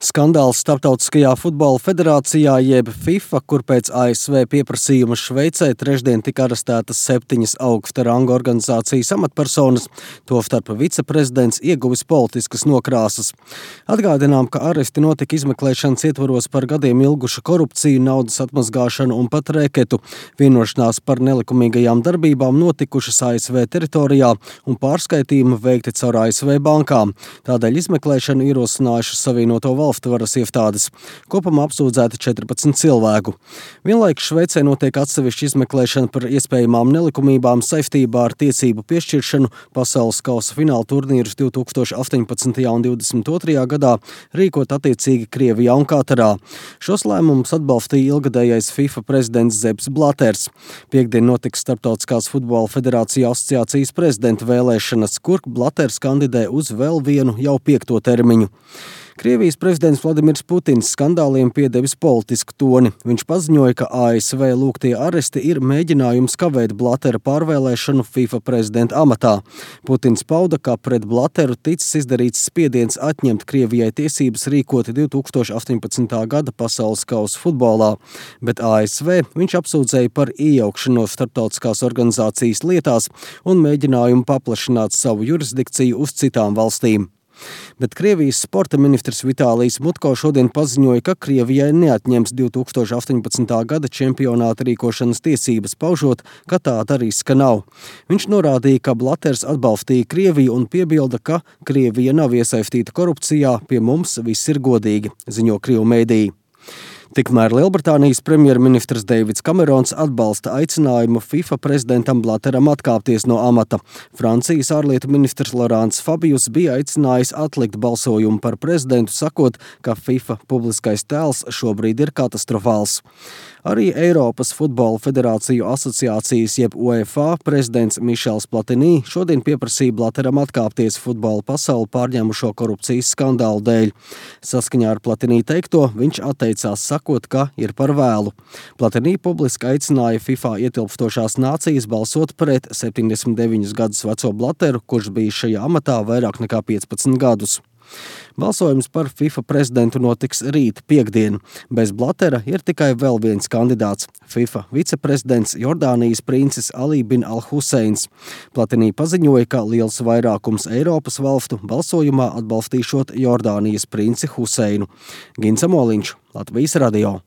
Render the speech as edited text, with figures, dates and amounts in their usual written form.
Skandāls Starptautiskajā futbola federācijā jeb FIFA, kur pēc ASV pieprasījuma Šveicē trešdien tika arestētas 7 augsta ranga organizācijas amatpersonas, tostarp viceprezidents ieguvis politiskas nokrāsas. Atgādinām, ka aresti notika izmeklēšanas ietvaros par gadiem ilgušu korupciju, naudas atmazgāšanu un pat rēketu. Vienošanās par nelikumīgajām darbībām notikušas ASV teritorijā un pārskaitījumi veikti caur ASV bankām. Tādēļ izmeklēšanu ierosinājušas Savienoto valstu varas iestādes. Kopumā apsūdzēti 14 cilvēku. Vienlaikus Šveicē notiek atsevišķa izmeklēšana par iespējamām nelikumībām saistībā ar tiesību piešķiršanu pasaules kausa fināla turnīrus 2018. un 2022. gadā rīkot attiecīgi Krievijā un Katarā. Šos lēmumus atbalstīja ilgadējais FIFA prezidents Sepps Blaters. Piektdien notiks Starptautiskās futbola federācija asociācijas prezidenta vēlēšanas, kur Blaters kandidē uz vēl vienu jau 5. termiņu. Krievijas prezidents Vladimirs Putins skandāliem piedevis politisku toni. Viņš paziņoja, ka ASV lūgtie aresti ir mēģinājums kavēt Blatera pārvēlēšanu FIFA prezidenta amatā. Putins pauda, ka pret Blateru ticis izdarīts spiediens atņemt Krievijai tiesības rīkot 2018. gada pasaules kausa futbolā, bet ASV viņš apsūdzēja par iejaukšanos starptautiskās organizācijas lietās un mēģinājumu paplašināt savu jurisdikciju uz citām valstīm. Bet Krievijas sporta ministrs Vitālijs Mutko šodien paziņoja, ka Krievijai neatņems 2018. gada čempionāta rīkošanas tiesības, paužot, ka tāda riska nav. Viņš norādīja, ka Blaters atbalstīja Krieviju un piebilda, ka Krievija nav iesaistīta korupcijā, pie mums viss ir godīgi, ziņo Krievu mēdīji. Tikmēr Lielbritānijas premjerministrs Deivids Kamerons atbalsta aicinājumu FIFA prezidentam Blateram atkāpties no amata. Francijas ārlietu ministrs Laurents Fabius bija aicinājis atlikt balsojumu par prezidentu, sakot, ka FIFA publiskais tēls šobrīd ir katastrofāls. Arī Eiropas futbola federāciju asociācijas jeb UEFA prezidents Mišels Platini šodien pieprasīja Blateram atkāpties futbola pasauli pārņēmušo korupcijas skandālu dēļ. Saskaņā ar Platini teikto, viņš atteicās sakot, ka ir par vēlu. Platini publiski aicināja FIFA ietilpstošās nācijas balsot pret 79 gadus veco Blateru, kurš bija šajā amatā vairāk nekā 15 gadus. Balsojums par FIFA prezidentu notiks rīt, piektdien. Bez Blatera ir tikai vēl viens kandidāts – FIFA viceprezidents Jordānijas princis Ali bin Al-Huseins. Platini paziņoja, ka liels vairākums Eiropas valstu balsojumā atbalstīšot Jordānijas princi Huseinu. Gins Amoliņš, Latvijas radio.